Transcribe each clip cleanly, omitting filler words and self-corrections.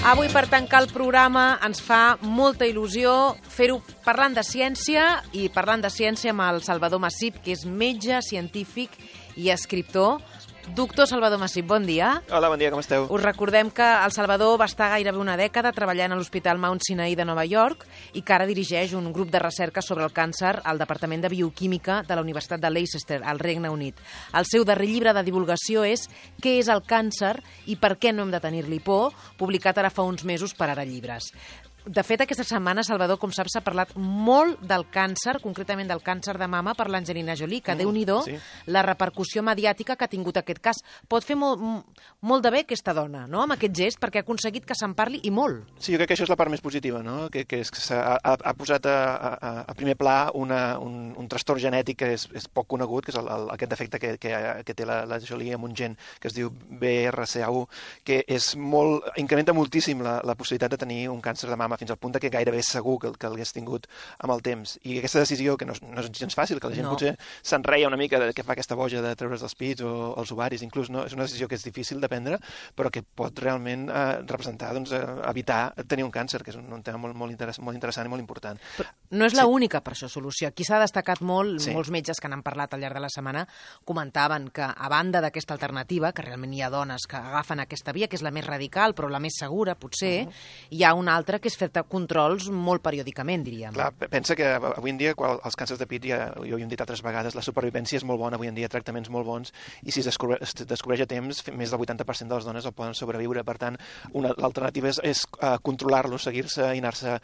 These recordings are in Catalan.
Avui, per tancar el programa, ens fa molta il·lusió fer-ho parlant de ciència i parlant de ciència amb el Salvador Massip, que és metge, científic i escriptor. Doctor Salvador Massip, bon dia. Hola, bon dia, com esteu? Us recordem que el Salvador va estar gairebé una dècada treballant a l'Hospital Mount Sinai de Nova York i que ara dirigeix un grup de recerca sobre el càncer al Departament de Bioquímica de la Universitat de Leicester, al Regne Unit. El seu darrer llibre de divulgació és Què és el càncer i per què no hem de tenir-li por?, publicat ara fa uns mesos per Ara Llibres. De fet, aquesta setmana, Salvador, com saps, s'ha parlat molt del càncer, concretament del càncer de mama per l'Angelina Jolie, que Déu-n'hi-do, sí. La repercussió mediàtica que ha tingut aquest cas. Pot fer molt de bé aquesta dona, no?, amb aquest gest, perquè ha aconseguit que se'n parli i molt. Sí, jo crec que això és la part més positiva, no? Que és que ha posat a primer pla un trastorn genètic que és poc conegut, que és aquest defecte que té la Jolie amb un gen que es diu BRCA1, que incrementa moltíssim la possibilitat de tenir un càncer de mama, fins al punt que gairebé és segur que l'hagués tingut amb el temps. I aquesta decisió, que no és gens fàcil, que la gent potser s'enreia una mica de què fa aquesta boja de treure's els pits o els ovaris, inclús, no? És una decisió que és difícil de prendre, però que pot realment representar, evitar tenir un càncer, que és un tema molt interessant i molt important. Però no és l'única, per això, solució. Aquí s'ha destacat molt, molts metges que n'han parlat al llarg de la setmana comentaven que, a banda d'aquesta alternativa, que realment hi ha dones que agafen aquesta via, que és la més radical, però la més segura, potser, hi ha una altra que és fer controls molt periòdicament, diríem. Clar, pensa que avui en dia, quan els càncers de pit, jo ho hem dit altres vegades, la supervivència és molt bona avui en dia, tractaments molt bons, i si es descobreix a temps, més del 80% de les dones el poden sobreviure. Per tant, l'alternativa és controlar-lo, seguir-se i anar-se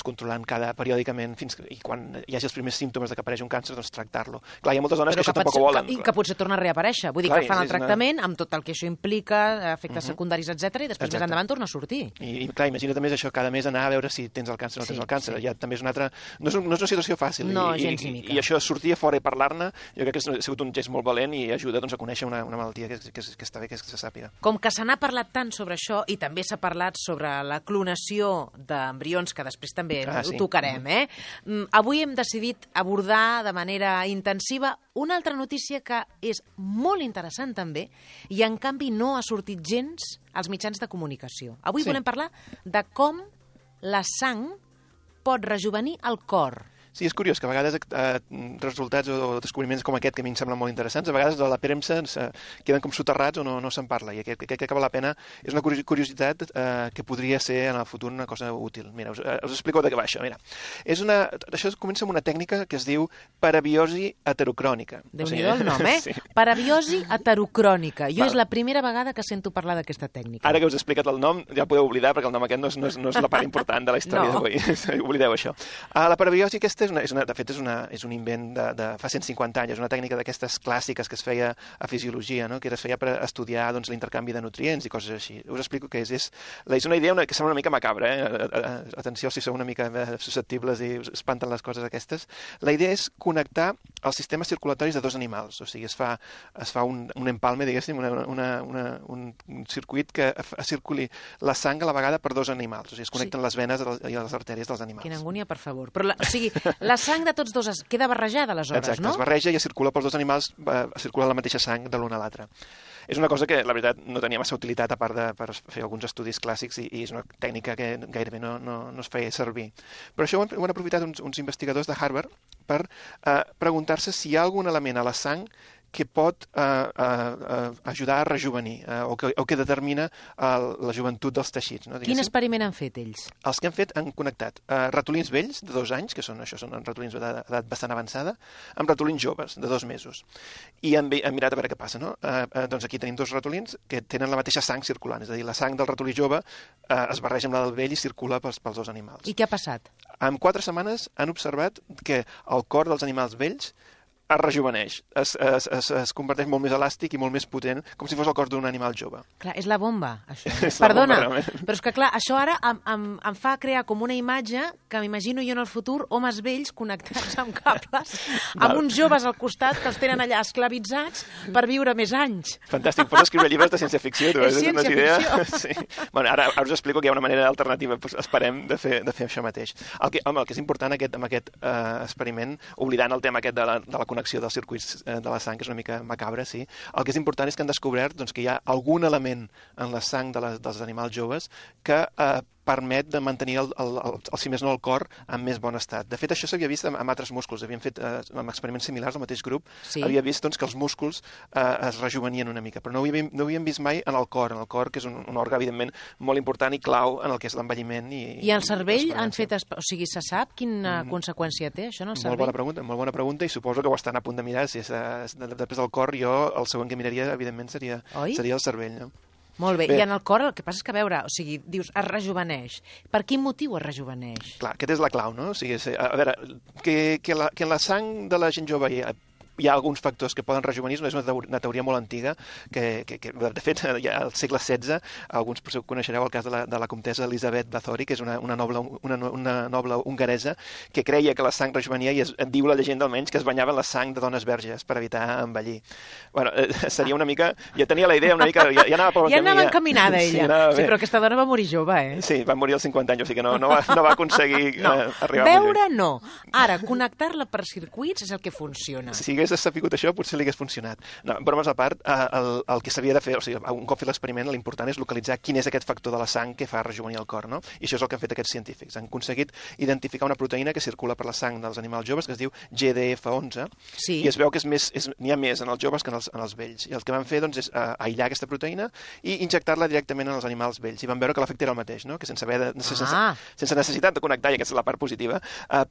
controlant periòdicament i quan hi hagi els primers símptomes de que apareix un càncer, tractar-lo. Clar, hi ha moltes dones que això tampoc ho volen. I que potser torna a reaparèixer. Vull dir que fan el tractament amb tot el que això implica, efectes secundaris, etc, i després més endavant torna a sortir. I clar, imagina't més això, cada mes anar a veure si tens el càncer o no tens el càncer. Ja també és una altra... No és una situació fàcil. No, gens ni mica. I això, sortir a fora i parlar-ne, jo crec que ha sigut un gest molt valent i ajuda a conèixer una malaltia que està bé que se sàpiga. Com que se n'ha parlat tant sobre això, i també s'ha parlat sobre la clonació d'embrions, que després també ho tocarem, avui hem decidit abordar de manera intensiva una altra notícia que és molt interessant també i en canvi no ha sortit gens als mitjans de comunicació. Avui volem parlar de com la sang pot rejovenir el cor. Sí, és curiós que a vegades resultats o descobriments com aquest, que a mi em semblen molt interessants, a vegades de la premsa queden com soterrats o no se'n parla, i crec que val la pena. És una curiositat que podria ser en el futur una cosa útil. Mira, us explico de què va això. Mira, això comença amb una tècnica que es diu parabiosi heterocrònica. Déu-n'hi-do el nom, Sí. Parabiosi heterocrònica. Jo és la primera vegada que sento parlar d'aquesta tècnica. Ara que us he explicat el nom, ja podeu oblidar, perquè el nom aquest no és la part important de la història d'avui. Oblideu això. La parabiosi aquesta de fet, és un invent de fa 150 anys, és una tècnica d'aquestes clàssiques que es feia a fisiologia, no? Que es feia per estudiar l'intercanvi de nutrients i coses així. Us explico què és. És una idea que sembla una mica macabra, Atenció si sou una mica susceptibles i us espanten les coses aquestes. La idea és connectar els sistemes circulatoris de dos animals, o sigui, es fa un empalme, diguéssim, un circuit que circuli la sang a la vegada per dos animals, o sigui, es connecten les venes i les artèries dels animals. Quina angúnia, per favor. Però, o sigui, la sang de tots dos queda barrejada, aleshores, exacte, no? Es barreja i circula pels dos animals, circula la mateixa sang de l'un a l'altre. És una cosa que, la veritat, no tenia massa utilitat, a part de per fer alguns estudis clàssics, i és una tècnica que gairebé no es feia servir. Però això ho han aprofitat uns investigadors de Harvard per preguntar-se si hi ha algun element a la sang que pot ajudar a rejovenir o que determina la joventut dels teixits. No? Quin experiment han fet ells? Els que han fet han connectat ratolins vells de 2 anys, que són ratolins d'edat bastant avançada, amb ratolins joves de 2 mesos. I han mirat a veure què passa. No? Doncs aquí tenim 2 ratolins que tenen la mateixa sang circulant, és a dir, la sang del ratolí jove es barreja amb la del vell i circula pels 2 animals. I què ha passat? En 4 setmanes han observat que el cor dels animals vells es rejuveneix, es converteix molt més elàstic i molt més potent, com si fos el cos d'un animal jove. Clar, és la bomba, això. Perdona, però és que clar, això ara em fa crear com una imatge que m'imagino jo en el futur, homes vells connectats amb cables, amb uns joves al costat que els tenen allà esclavitzats per viure més anys. Fantàstic, pots escriure llibres de ciència-ficció. És ciència-ficció. Sí. Bueno, ara us explico que hi ha una manera alternativa, esperem, de fer això mateix. El que és important amb aquest experiment, oblidant el tema aquest de la desconnexió dels circuits de la sang, que és una mica macabre, sí. El que és important és que han descobert doncs, que hi ha algun element en la sang dels animals joves que permet de mantenir, si més no, el cor en més bon estat. De fet, això s'havia vist amb altres músculs. Havien fet amb experiments similars al mateix grup. Sí. Havia vist doncs, que els músculs es rejuvenien una mica, però no ho havíem vist mai en el cor, que és un òrgan, evidentment, molt important i clau en el que és l'envelliment. I el cervell han fet... O sigui, se sap quina conseqüència té, això, en el cervell? Molt bona pregunta, i suposo que ho estan a punt de mirar. Si després del cor, jo el següent que miraria, evidentment, seria el cervell, no? Molt bé. I en el cor el que passa és que, a veure, o sigui, dius, es rejuveneix. Per quin motiu es rejuveneix? Clar, aquesta és la clau, no? O sigui, a veure, que en la sang de la gent jove hi ha alguns factors que poden rejuvenir, és una teoria molt antiga, que de fet, ja al segle XVI, alguns coneixereu el cas de la comtessa Elisabet Bathory, que és una noble hongaresa, que creia que la sang rejuvenia, i diu la llegenda almenys, que es banyava en la sang de dones verges per evitar envellir. Bueno, seria una mica... Ja tenia la idea una mica... Ja anava per un camí. Ja anava encaminada, ella. Sí, però aquesta dona va morir jove, eh? Sí, va morir als 50 anys, o sigui que no va aconseguir arribar a veure, no. Ara, connectar-la per circuits és el que funciona. Si hagués sapigut això, potser li hagués funcionat. No, bromes a part, el que s'havia de fer, o sigui, un cop fet l'experiment, l'important és localitzar quin és aquest factor de la sang que fa rejuvenir el cor, no? I això és el que han fet aquests científics. Han aconseguit identificar una proteïna que circula per la sang dels animals joves, que es diu GDF11, i es veu que n'hi ha més en els joves que en els vells. I el que van fer doncs, és aïllar aquesta proteïna i injectar-la directament en els animals vells. I van veure que l'efecte era el mateix, no? Que sense necessitat de connectar, i aquesta és la part positiva,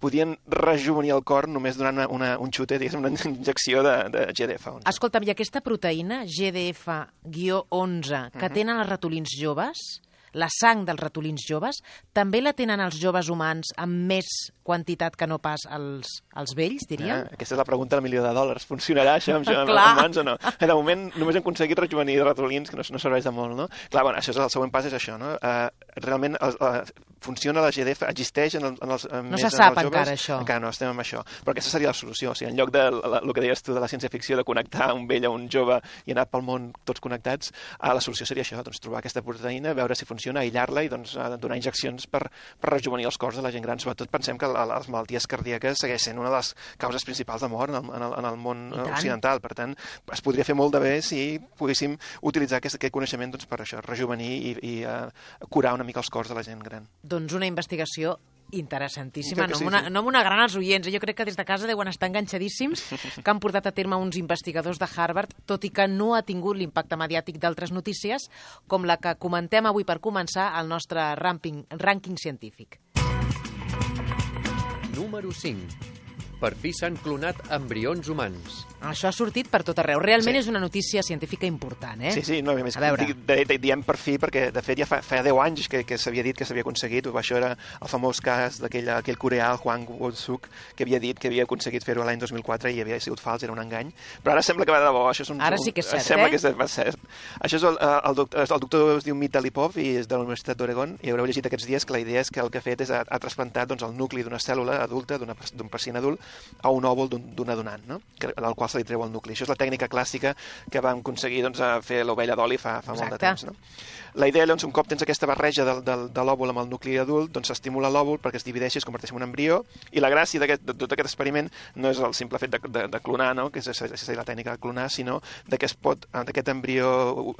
podien rejuvenir el cor només donant un xute, diguéssim, una injecció de GDF11. Escolta'm, i aquesta proteïna, GDF-11, que tenen els ratolins joves, la sang dels ratolins joves, també la tenen els joves humans amb més quantitat que no pas els vells, diríem? Aquesta és la pregunta del $1.000.000. Funcionarà això amb humans o no? De moment només hem aconseguit rejuvenir ratolins, que no serveix de molt, no? Clar, bueno, el següent pas és això, no? Realment funciona la GDF, existeix en els no se sap encara això. Encara no, estem amb això. Però aquesta seria la solució. O sigui, en lloc del que deies tu de la ciència-ficció, de connectar un vell a un jove i anar pel món tots connectats, la solució seria això, doncs, trobar aquesta proteïna, veure si funciona, aïllar-la i doncs, donar injeccions per rejuvenir els cors de la gent gran. Sobretot pensem que les malalties cardíaques segueix sent una de les causes principals de mort en el món occidental. Per tant, es podria fer molt de bé si poguéssim utilitzar aquest coneixement doncs, per això, rejuvenir i curar una mica els cors de la gent gran. Doncs una investigació interessantíssima, no amb una gran als oients. Jo crec que des de casa deuen estar enganxadíssims, que han portat a terme uns investigadors de Harvard, tot i que no ha tingut l'impacte mediàtic d'altres notícies, com la que comentem avui per començar al nostre rànquing científic. Número 5. Per fi s'han clonat embrions humans. Això ha sortit per tot arreu. Realment és una notícia científica important, eh? Sí, no, a més, diem per fi, perquè de fet ja fa 10 anys que s'havia dit que s'havia aconseguit. Això era el famós cas d'aquell coreà, el Hwang Woo-suk, que havia dit que havia aconseguit fer-ho l'any 2004 i havia sigut fals, era un engany. Però ara sembla que va de debò. Ara sí que és cert, sembla que és cert. Això és el doctor es diu Mital Lipov i és de la Universitat d'Oregon, i haureu llegit aquests dies que la idea és que el que ha fet és ha trasplantat el nucli d'una cèl·lula adulta, d'un pacient adult, a un òvul d'una donant, no? Del qual se li treu el nucli. Això és la tècnica clàssica que vam aconseguir fer l'ovella d'oli fa molt de temps. No? La idea, llavors, un cop tens aquesta barreja de l'òvul amb el nucli adult, doncs s'estimula l'òvul perquè es divideixi, es converteix en un embrió, i la gràcia de tot aquest experiment no és el simple fet de clonar, no? Que és la tècnica de clonar, sinó que es pot, d'aquest embrió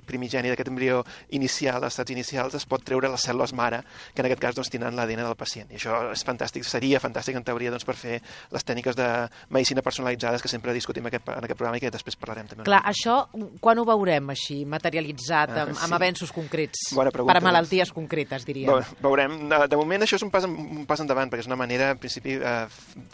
primigeni, d'aquest embrió inicial, als estats inicials, es pot treure les cèl·lules mare, que en aquest cas doncs, tindran l'ADN del pacient. I això és fantàstic, seria fantàstic en teoria doncs, per fer les tècniques de medicina personalitzades que sempre discutim en aquest programa i que després parlarem també. Clar, això quan ho veurem així, materialitzat, amb avenços concrets, per a malalties concretes, diríem? Veurem. De moment això és un pas endavant, perquè és una manera, en principi,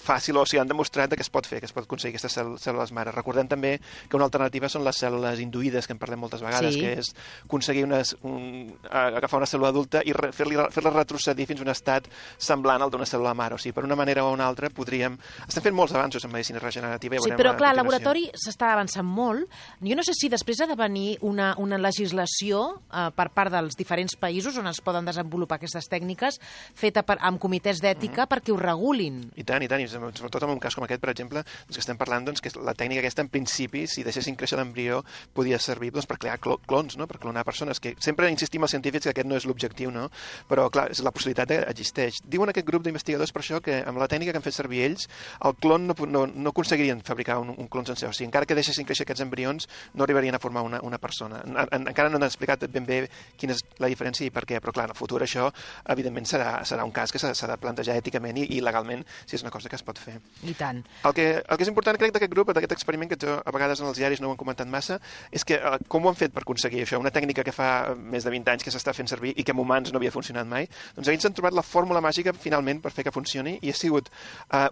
fàcil, o sigui, han demostrat que es pot fer, que es pot aconseguir aquestes cèl·lules mare. Recordem també que una alternativa són les cèl·lules induïdes, que en parlem moltes vegades, que és aconseguir agafar una cèl·lula adulta i fer-la retrocedir fins a un estat semblant al d'una cèl·lula mare. O sigui, per una manera o una altra podríem... Estem fent molts avanços en medicina regenerativa. Sí, però clar, al laboratori s'està avançant molt. Jo no sé si després ha de venir una legislació per part dels diferents països on es poden desenvolupar aquestes tècniques feta amb comitès d'ètica perquè ho regulin. I tant, i sobretot en un cas com aquest, per exemple, que estem parlant que la tècnica aquesta, en principi, si deixessin créixer l'embrió, podia servir per crear clons, no? Per clonar persones, que sempre insistim als científics que aquest no és l'objectiu, no? Però, clar, la possibilitat existeix. Diuen aquest grup d'investigadors per això que amb la tècnica que han fet servir ells, el clon no aconseguirien fabricar un clon sencer. O sigui, encara que deixessin créixer aquests embrions, no arribarien a formar una persona. Encara no han explicat ben bé quina és la diferència i per què, però clar, en el futur això, evidentment, serà un cas que s'ha de plantejar èticament i legalment, si és una cosa que es pot fer. I tant. El que és important, crec, d'aquest grup, d'aquest experiment, que a vegades en els diaris no ho han comentat massa, és que com ho han fet per aconseguir això? Una tècnica que fa més de 20 anys que s'està fent servir i que en humans no havia funcionat mai, doncs ells han trobat la fórmula màgica, finalment, per fer que funcioni, i ha sigut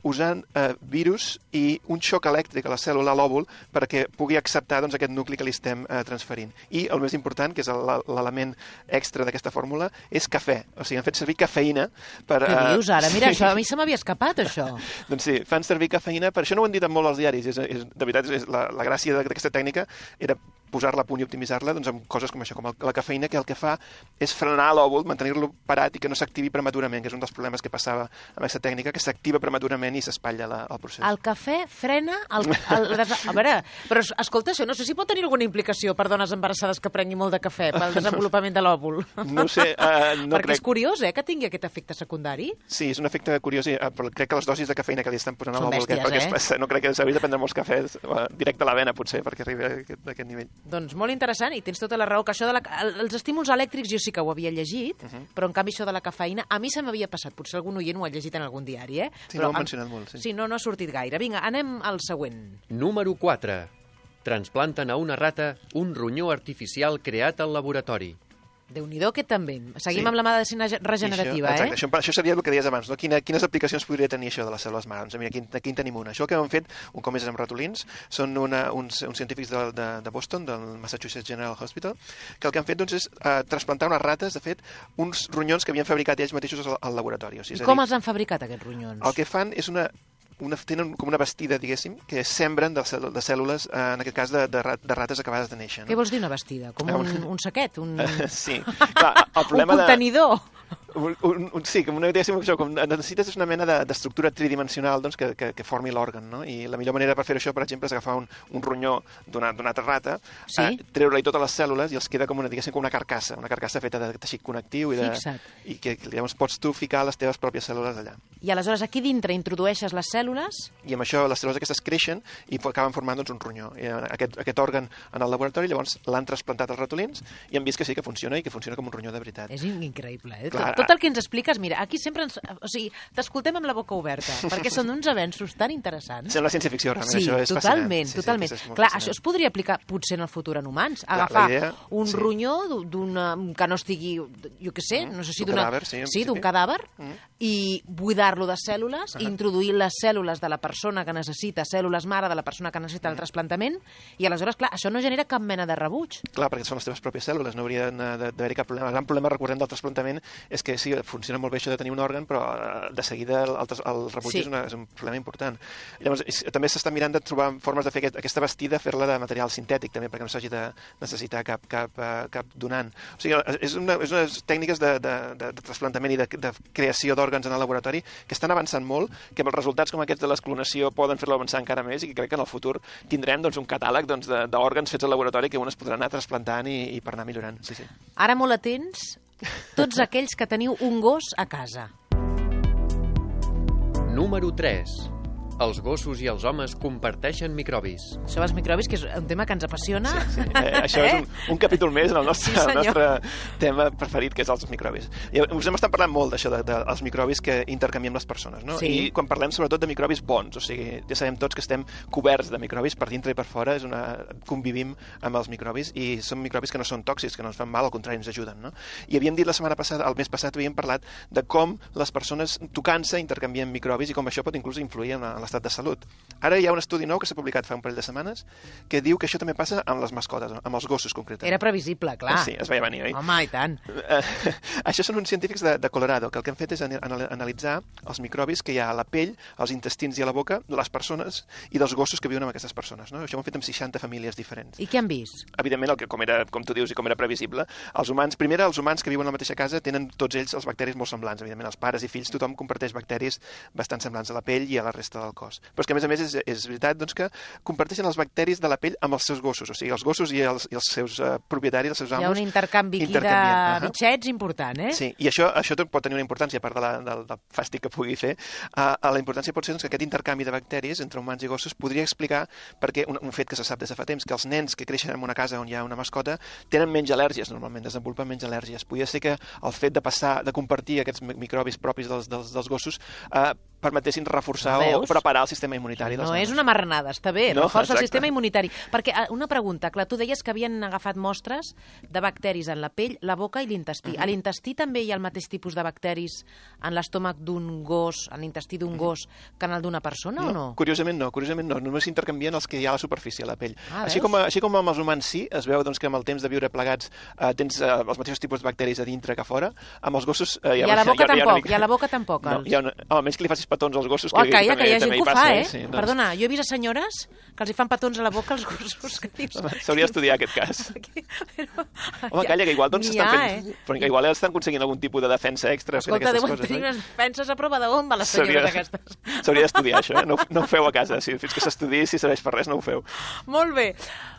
usant virus i un xoc elèctric a la cèl·lula, a l'òvul, perquè pugui acceptar aquest nucli que li estem transferint. I el més important, que és l'element extra d'aquesta fòrmula, és cafè. O sigui, han fet servir cafeïna per... Què dius ara? Mira, això a mi se m'havia escapat, això. Doncs sí, fan servir cafeïna, per això no ho han dit molt als diaris, de veritat, la gràcia d'aquesta tècnica era posar-la a punt i optimitzar-la amb coses com això, com la cafeïna, que el que fa és frenar l'òvul, mantenir-lo parat i que no s'activi prematurament, que és un dels problemes que passava amb aquesta tècnica, que s'activa prematurament i s'espatlla el procés. El cafè frena a veure, però escolta, això no sé si pot tenir alguna implicació per dones embarassades que prengui molt de cafè pel desenvolupament de l'òvul. No sé, no perquè crec... és curiós, que tingui aquest efecte secundari. Sí, és un efecte curiós, però crec que les dosis de cafeïna que li estan posant a l'òvul, no crec que s'hauria de prendre molts cafès directe a la vena, potser, perquè arribi a aquest nivell. Doncs molt interessant, i tens tota la raó, que això els estímuls elèctrics jo sí que ho havia llegit, però en canvi això de la cafeïna, a mi se m'havia passat, potser algun oient ho ha llegit en algun diari, Sí, no ho han mencionat molt, sí. Sí, no ha sortit gaire. Vinga, anem al següent. Número 4. Transplanten a una rata un ronyó artificial creat al laboratori. Déu-n'hi-do, aquest també. Seguim amb la medicina regenerativa, Exacte, això seria el que deies abans, no? Quines aplicacions podria tenir això de les cèl·lules mare? Doncs mira, aquí en tenim una. Això que han fet, un cop més amb ratolins, són uns científics de Boston, del Massachusetts General Hospital, que el que han fet és trasplantar unes rates, de fet, uns ronyons que havien fabricat ells mateixos al laboratori. I com els han fabricat, aquests ronyons? El que fan és tenen com una bastida, diguéssim, que sembren de cèl·lules, en aquest cas, de rates acabades de néixer. No? Què vols dir, una bastida? Com un saquet? Sí. Clar, el problema un contenidor? Sí, com necessites una mena d'estructura tridimensional que formi l'òrgan, no? I la millor manera per fer això, per exemple, és agafar un ronyó d'una altra rata, treure-li totes les cèl·lules i els queda com una carcassa feta de teixit connectiu i que llavors pots tu ficar les teves pròpies cèl·lules allà. I aleshores aquí dintre introdueixes les cèl·lules? I amb això les cèl·lules aquestes creixen i acaben formant un ronyó. I aquest òrgan en el laboratori llavors l'han trasplantat als ratolins i han vist que sí que funciona i que funciona com un ronyó de veritat. És increïble, Tot el que ens expliques, mira, aquí sempre t'escoltem amb la boca oberta, perquè són uns avenços tan interessants. Sembla ciència-ficció, realment, sí, això és totalment, fascinant. totalment. Sí, clar, això es podria aplicar potser en el futur en humans, agafar un ronyó que no estigui, jo què sé, no sé si d'un cadàver, i buidar-lo de cèl·lules, introduir les cèl·lules de la persona que necessita, cèl·lules mare de la persona que necessita el trasplantament, i aleshores, clar, això no genera cap mena de rebuig. Clar, perquè són les teves pròpies cèl·lules, no hauria d'haver-hi cap problema. El gran problema, recordem, del trasplantament és que sí, funciona molt bé això de tenir un òrgan, però de seguida el rebuig és un problema important. Llavors, també s'està mirant de trobar formes de fer aquesta bastida, fer-la de material sintètic, també, perquè no s'hagi de necessitar cap donant. O sigui, és unes tècniques de trasplantament i de creació d'òrgans en el laboratori que estan avançant molt, que amb els resultats com aquests de l'esclonació poden fer-lo avançar encara més i que crec que en el futur tindrem un catàleg d'òrgans fets al laboratori que un es podrà anar trasplantant i per anar millorant. Sí. Ara molt atents, tots aquells que teniu un gos a casa. Número 3. Els gossos i els homes comparteixen microbis. Això dels microbis, que és un tema que ens apassiona. Sí. Això és un capítol més en el nostre tema preferit, que és els microbis. I us hem estat parlant molt d'això, dels microbis que intercanviem les persones, no? Sí. I quan parlem sobretot de microbis bons, o sigui, ja sabem tots que estem coberts de microbis per dintre i per fora, convivim amb els microbis i són microbis que no són tòxics, que no ens fan mal, al contrari, ens ajuden, no? I havíem dit la setmana passada, el mes passat havíem parlat de com les persones tocant-se intercanvien microbis i com això pot inclús influir en la l'estat de salut. Ara hi ha un estudi nou que s'ha publicat fa un parell de setmanes que diu que això també passa amb les mascotes, amb els gossos concretament. Era previsible, clar. Sí, es veia venir, oi? Home, i tant. Això són uns científics de Colorado, que el que han fet és analitzar els microbis que hi ha a la pell, als intestins i a la boca de les persones i dels gossos que viuen amb aquestes persones. No? Això ho han fet amb 60 famílies diferents. I què han vist? Evidentment, com tu dius i com era previsible, els humans que viuen a la mateixa casa tenen tots ells els bacteris molt semblants. Evidentment, els pares i fills, tothom comparteix bacteris bastant semblants a la pell i a la resta del cos. Però és que, a més, és veritat doncs, que comparteixen els bacteris de la pell amb els seus gossos. O sigui, els gossos i els seus propietaris, els seus amos... Hi ha un intercanvi aquí de bitxets important, eh? Sí, i això pot tenir una importància, a part del fàstic que pugui fer. La importància pot ser que aquest intercanvi de bacteris entre humans i gossos podria explicar perquè un fet que se sap des de fa temps, que els nens que creixen en una casa on hi ha una mascota tenen menys al·lèrgies, normalment, desenvolupen menys al·lèrgies. Podria ser que el fet de compartir aquests microbis propis dels gossos permetessin reforçar o preparar el sistema immunitari dels nens. No és una marranada, està bé, reforça el sistema immunitari. Perquè, una pregunta, clar, tu deies que havien agafat mostres de bacteris en la pell, la boca i l'intestí. A l'intestí també hi ha el mateix tipus de bacteris en l'estómac d'un gos, en l'intestí d'un gos, que en el d'una persona o no? Curiosament no. Només s'intercanvien els que hi ha a la superfície, a la pell. Així com amb els humans sí, es veu que amb el temps de viure plegats tens els mateixos tipus de bacteris a dintre que a fora, amb els gossos... I a la boca tampoc, i a la boca tampoc. Almenys que li facis petons als gossos. Que hi ha gent que ho fa, eh? Sí, doncs... Perdona, jo he vist a senyores que els hi fan petons a la boca als gossos. S'hauria d'estudiar aquest cas. Home, calla, que igual s'estan fent... Però que igual estan aconseguint algun tipus de defensa extra fent aquestes coses. Escolta, deuen tenir unes defenses a prova de bomba, les senyores aquestes. S'hauria d'estudiar això, no ho feu a casa. Fins que s'estudiï, si serveix per res, no ho feu. Molt bé.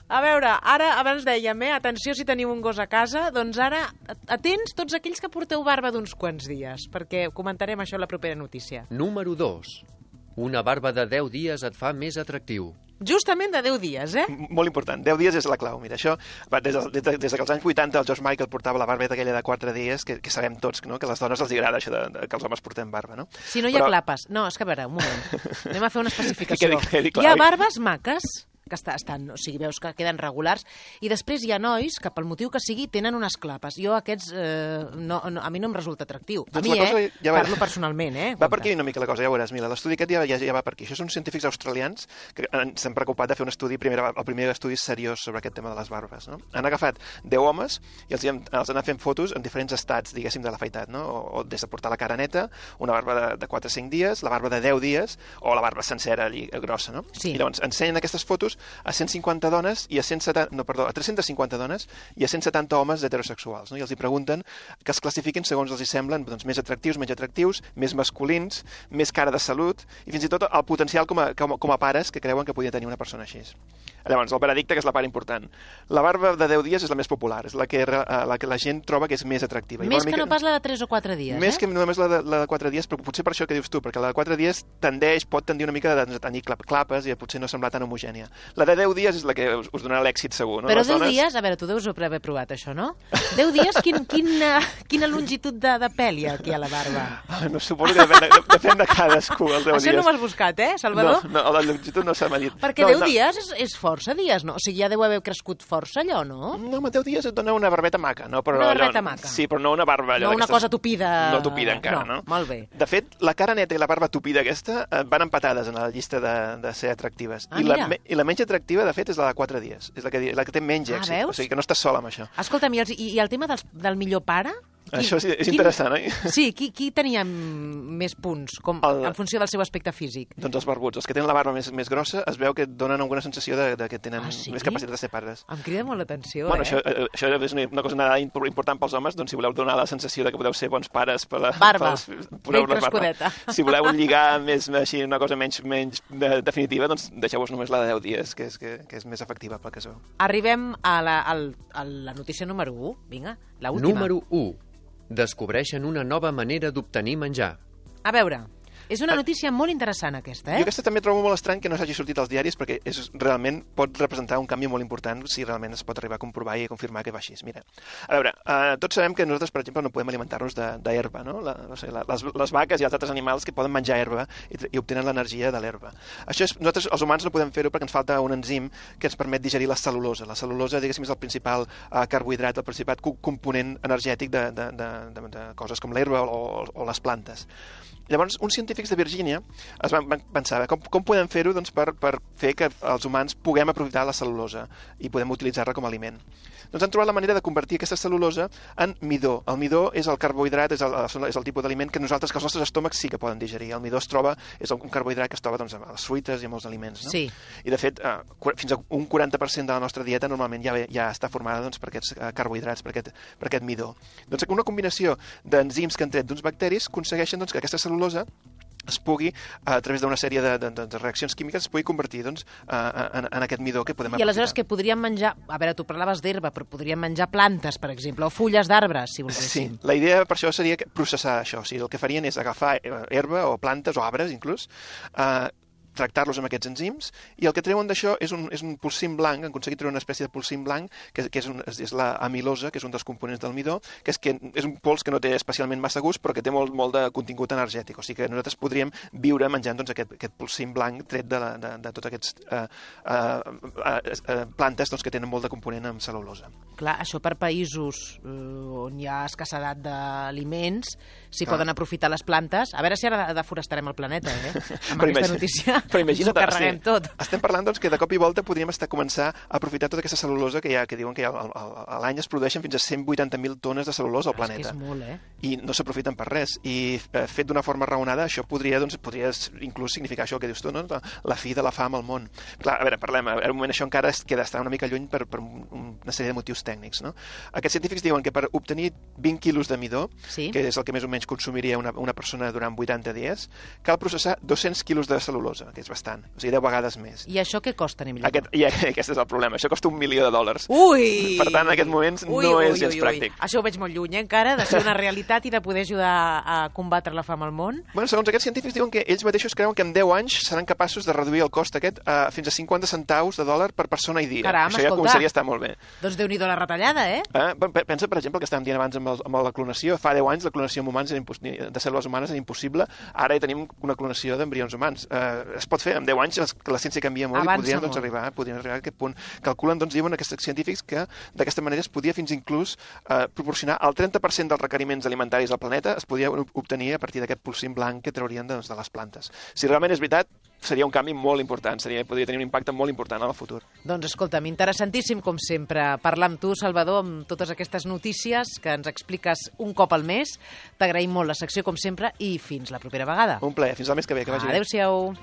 A veure, ara, abans dèiem, atenció si teniu un gos a casa, doncs ara, atents tots aquells que porteu barba d'uns quants dies, perquè comentarem això a la propera notícia. Número 2. Una barba de 10 dies et fa més atractiu. Justament de 10 dies, eh? Molt important. 10 dies és la clau. Mira, això, des que els anys 80 el George Michael portava la barbeta aquella de 4 dies, que sabem tots, no? Que a les dones els agrada això que els homes portem barba, no? Si no hi ha clapes. No, és que a veure, un moment. Anem a fer una especificació. Hi ha barbes maques, que estan, o sigui, veus que queden regulars, i després hi ha nois que, pel motiu que sigui, tenen unes clapes. Jo aquests, a mi no em resulta atractiu. A mi, parlo personalment, Va per aquí una mica la cosa, ja ho veuràs, Mila. L'estudi aquest ja va per aquí. Això són científics australians que s'han preocupat de fer un estudi, el primer estudi seriós sobre aquest tema de les barbes. No? Han agafat 10 homes i els han anat fent fotos en diferents estats, diguéssim, de l'afaitat, no? O des de portar la cara neta, una barba de 4 o 5 dies, la barba de 10 dies, o la barba sencera, allí, grossa, no? Sí. I llavors ensenyen aquestes fotos a 150 dones i a 350 dones i a 170 homes heterosexuals, no? I els hi pregunten que els classifiquin segons els hi semblen més atractius, menys atractius, més masculins, més cara de salut i fins i tot el potencial com a pares que creuen que podia tenir una persona així. Llavors, el veredicte, que és la part important. La barba de 10 dies és la més popular, és la que la gent troba que és més atractiva. Més que no pas la de 3 o 4 dies, Més que només la de 4 dies, però potser per això que dius tu, perquè la de 4 dies pot tendir una mica de tenir clapes i potser no semblar tan homogènia. La de 10 dies és la que us donarà l'èxit segur, no? Però 10 dies, a veure, tu deus haver provat això, no? 10 dies, quina longitud de pèl hi ha aquí a la barba? No, suposo que depèn de cadascú, els 10 dies. Això no ho has buscat, Salvador? No, la longitud no s'ha medit. Perquè 10 dies és força dies, no? O sigui, ja deu haver crescut força allò, no? No, amb 10 dies et dona una barbeta maca, no? Una barbeta maca. Sí, però no una barba allò. No una cosa tupida. No tupida encara, no? Molt bé. De fet, la cara neta i la barba tupida aquesta van empatades en la llista de ser atractives. I la menys atractiva, de fet, és la de 4 dies. És la que té menys èxit. Veus? O sigui que no estàs sol amb això. Escolta'm, i el tema del millor pare? Això és interessant, oi? Sí, qui tenia més punts en funció del seu aspecte físic? Doncs els barbuts. Els que tenen la barba més grossa es veu que donen alguna sensació de que tenen més capacitat de ser pares. Em crida molt l'atenció, Bueno, això és una cosa important pels homes, doncs si voleu donar la sensació de que podeu ser bons pares per la barba, ben crescudeta. Si voleu lligar més així una cosa menys definitiva, doncs deixeu-vos només la de 10 dies, que és més efectiva pel que es veu. Arribem a la notícia número 1. Vinga, l'última. Número 1. Descobreixen una nova manera d'obtenir menjar. A veure, és una notícia molt interessant aquesta, Jo aquesta també trobo molt estrany que no s'hagi sortit als diaris perquè realment pot representar un canvi molt important si realment es pot arribar a comprovar i a confirmar que va així. Mira, a veure, tots sabem que nosaltres, per exemple, no podem alimentar-nos d'herba, no? Les vaques i els altres animals que poden menjar herba i obtenen l'energia de l'herba. Nosaltres, els humans, no podem fer-ho perquè ens falta un enzim que ens permet digerir la cel·lulosa. La cel·lulosa, diguéssim, és el principal carbohidrat, el principal component energètic de coses com l'herba o les plantes. Llavors, uns científics de Virgínia es van pensar com podem fer-ho doncs, per fer que els humans puguem aprofitar la cel·lulosa i podem utilitzar-la com a aliment. Doncs han trobat la manera de convertir aquesta cel·lulosa en midó. El midó és el carbohidrat, és el tipus d'aliment que nosaltres, que els nostres estómacs sí que poden digerir. El midó és un carbohidrat que es troba doncs, a les fruites i a molts aliments. No? Sí. I, de fet, fins a un 40% de la nostra dieta normalment ja està formada doncs, per aquests carbohidrats, per aquest midó. Doncs una combinació d'enzims que han tret d'uns bacteris aconsegueixen doncs, que aquesta cel·lulosa es pugui, a través d'una sèrie de reaccions químiques, es pugui convertir doncs, en aquest midó que podem aprofitar. I aleshores que podríem menjar... A veure, tu parlaves d'herba, però podríem menjar plantes, per exemple, o fulles d'arbres, si volguéssim. Sí, la idea per això seria processar això. O sigui, el que farien és agafar herba o plantes o arbres, inclús, tractar-los amb aquests enzims, i el que treuen d'això és un polsim blanc, han aconseguit treure una espècie de polsim blanc, que és la amilosa, que és un dels components del midó, que és un pols que no té especialment massa gust, però que té molt de contingut energètic. O sigui que nosaltres podríem viure menjant doncs, aquest polsim blanc tret de tots aquests plantes doncs, que tenen molt de component amb cel·lulosa. Clar, això per països on hi ha escassedat d'aliments, s'hi poden aprofitar les plantes. A veure si ara deforestarem el planeta, amb aquesta notícia. Però imagina't, tot. Estem parlant doncs, que de cop i volta podríem començar a aprofitar tota aquesta cel·lulosa que diuen que a l'any es produeixen fins a 180.000 tones de cel·lulosa al planeta. És molt, I no s'aprofiten per res. I fet d'una forma raonada, això podria inclús significar això que dius tu, no? La fi de la fam al món. Clar, a veure, parlem, en un moment això encara queda estar una mica lluny per una sèrie de motius tècnics. No? Aquests científics diuen que per obtenir 20 quilos de midó, que és el que més o menys consumiria una persona durant 80 dies, cal processar 200 quilos de cel·lulosa, que és bastant, o sigui, 10 vegades més. I això què costa, Emili? Aquest és el problema, això costa $1 milió. Ui! Per tant, en aquest moments no és gens pràctic. Això ho veig molt lluny, encara, de ser una realitat i de poder ajudar a combatre la fam al món. Bueno, segons aquests científics diuen que ells mateixos creuen que en 10 anys seran capaços de reduir el cost aquest fins a 50 centaus de dòlar per persona i dia. Caram, això ja començaria a estar molt bé. Doncs Déu-n'hi-do la retallada, Pensa, per exemple, el que estàvem dient abans amb la clonació. Fa 10 anys la clonació amb humans de cèl·lules humanes era impossible. Ara ja tenim una clonació d'embrions humans. Es pot fer, en 10 anys la ciència canvia molt. Avança i podrien arribar a aquest punt. Calculen, diuen aquests científics, que d'aquesta manera es podia fins inclús proporcionar el 30% dels requeriments alimentaris del planeta es podia obtenir a partir d'aquest polsim blanc que traurien de les plantes. Si realment és veritat, seria un canvi molt important, podria tenir un impacte molt important en el futur. Doncs escolta'm, interessantíssim com sempre parlar amb tu, Salvador, amb totes aquestes notícies que ens expliques un cop al mes. T'agraïm molt la secció com sempre i fins la propera vegada. Un plaer, fins al mes que ve, que vagi bé. Adéu-siau.